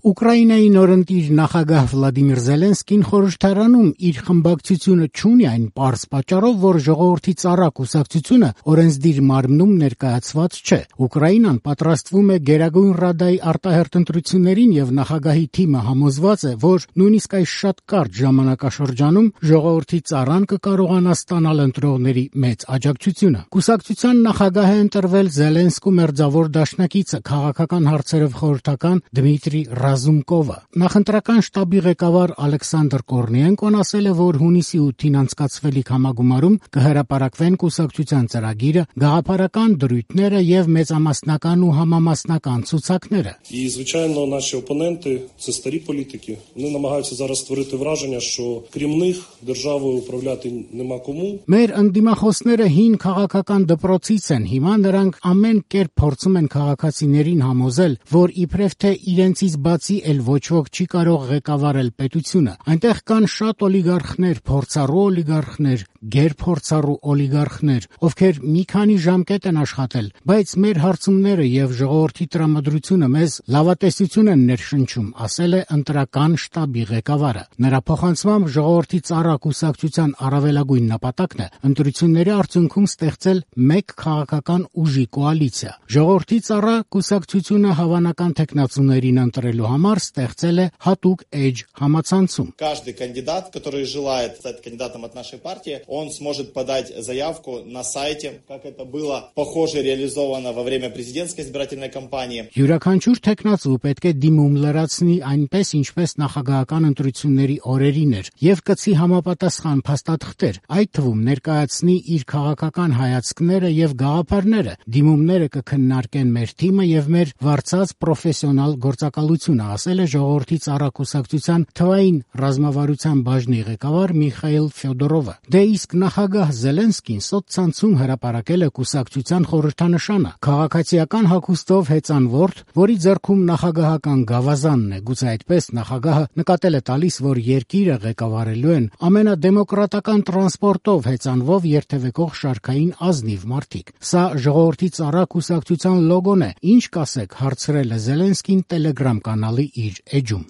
Ուկրաինայի նորընտիր նախագահ Վլադիմիր Զելենսկին խորհրդարանում իր խմբակցությունը չունի այն պարզ պատճառով, որ ժողովրդի ծառա կուսակցությունը օրենսդիր մարմնում ներկայացված չէ։ Ուկրաինան պատրաստվում է Գերագույն Ռադայի արտահերթ ընտրություններին եւ նախագահի թիմը համոզված է, որ նույնիսկ այս շատ կարճ ժամանակաշրջանում ժողովրդի ծառան կկարողանա ստանալ ընտրողների մեծ աջակցությունը։ Կուսակցության նախագահ է ընտրվել Զելենսկու մերձավոր դաշնակիցը քաղաքական հարցերով խորհրդական Դմիտրի Ռազումկովը։ Նախընտրական շտաբի ղեկավար Ալեքսանդր Կորնիենկոն ասել է, որ հունիսի 8-ին անցկացվելիք համագումարում կհրապարակվեն կուսակցության ծրագիրը, գաղափարական դրույթները եւ մեծամասնական ու համամասնական ցուցակները։ І, звичайно, наші опоненти – це старі політики. Вони намагаються зараз створити враження, що крім них державою управляти нема кому. Մեր ընդդիմախոսները հին քաղաքական դպրոցից են, հիմա նրանք ամեն կերպ փորձում են քաղաքացիներին համոզել, որ իբրև թե իրենցից բացի էլ ոչ ոք չի կարող ղեկավարել պետությունը։ Այնտեղ կան շատ օլիգարխներ, փորձառու օլիգարխներ, գերփորձառու օլիգարխներ, ովքեր մի քանի ժամկետ են աշխատել, բայց մեր հարցումները եւ ժողովրդի տրամադրությունը մեզ լավատեսություն են ներշնչում, ասել է ընտրական շտաբի ղեկավարը։ Նրա փոխանցմամբ ժողովրդի ծառա կուսակցության առավելագույն նպատակն է ընտրությունների արդյունքում ստեղծել մեկ քաղաքական ուժի կոալիցիա։ Ժողովրդի ծառա կուսակցությունը հավանական տեխնացուներին ընտրելու համար ստեղծել է հատուկ էջ համացանցում։ Каждый кандидат, который желает стать кандидатом от нашей партии, он сможет подать заявку на сайте, как это было похоже реализовано во время президентской избирательной кампании. Յուրաքանչյուր տեխնացու պետք է դիմում լրացնի այնպես, ինչպես նախագահական ընտրությունների օրերին էր, եւ կցի համապատասխան փաստաթղթեր, այդ թվում ներկայացնի իր քաղաքական հայացքները եւ գաղափարները։ Դիմումները կքննարկեն մեր թիմը եւ մեր վարձած պրոֆեսիոնալ գործակալությունը, ասել է ժողովրդի ծառա կուսակցության թվային ռազմավարության բաժնի ղեկավար Միխայիլ Ֆյոդորովը։ Դե իսկ նախագահ Զելենսկին սոցցանցում հրապարակել է կուսակցության խորհրդանշանը, քաղաքացիական հագուստով հեծանվորդ, որի ձեռքում նախագահական գավազանն է։ Գուցե այդպես նախագահը նկատել է տալիս, որ երկիրը ղեկավարելու են ամենադեմոկրատական տրանսպորտով հեծանվով երթևեկող շարքային ազնիվ մարդիկ։ Սա ժողովրդի ծառա կուսակցության լոգոն է։ Ինչ կասեք, հարցրել է Զելենսկին Telegram կանալի իր էջում։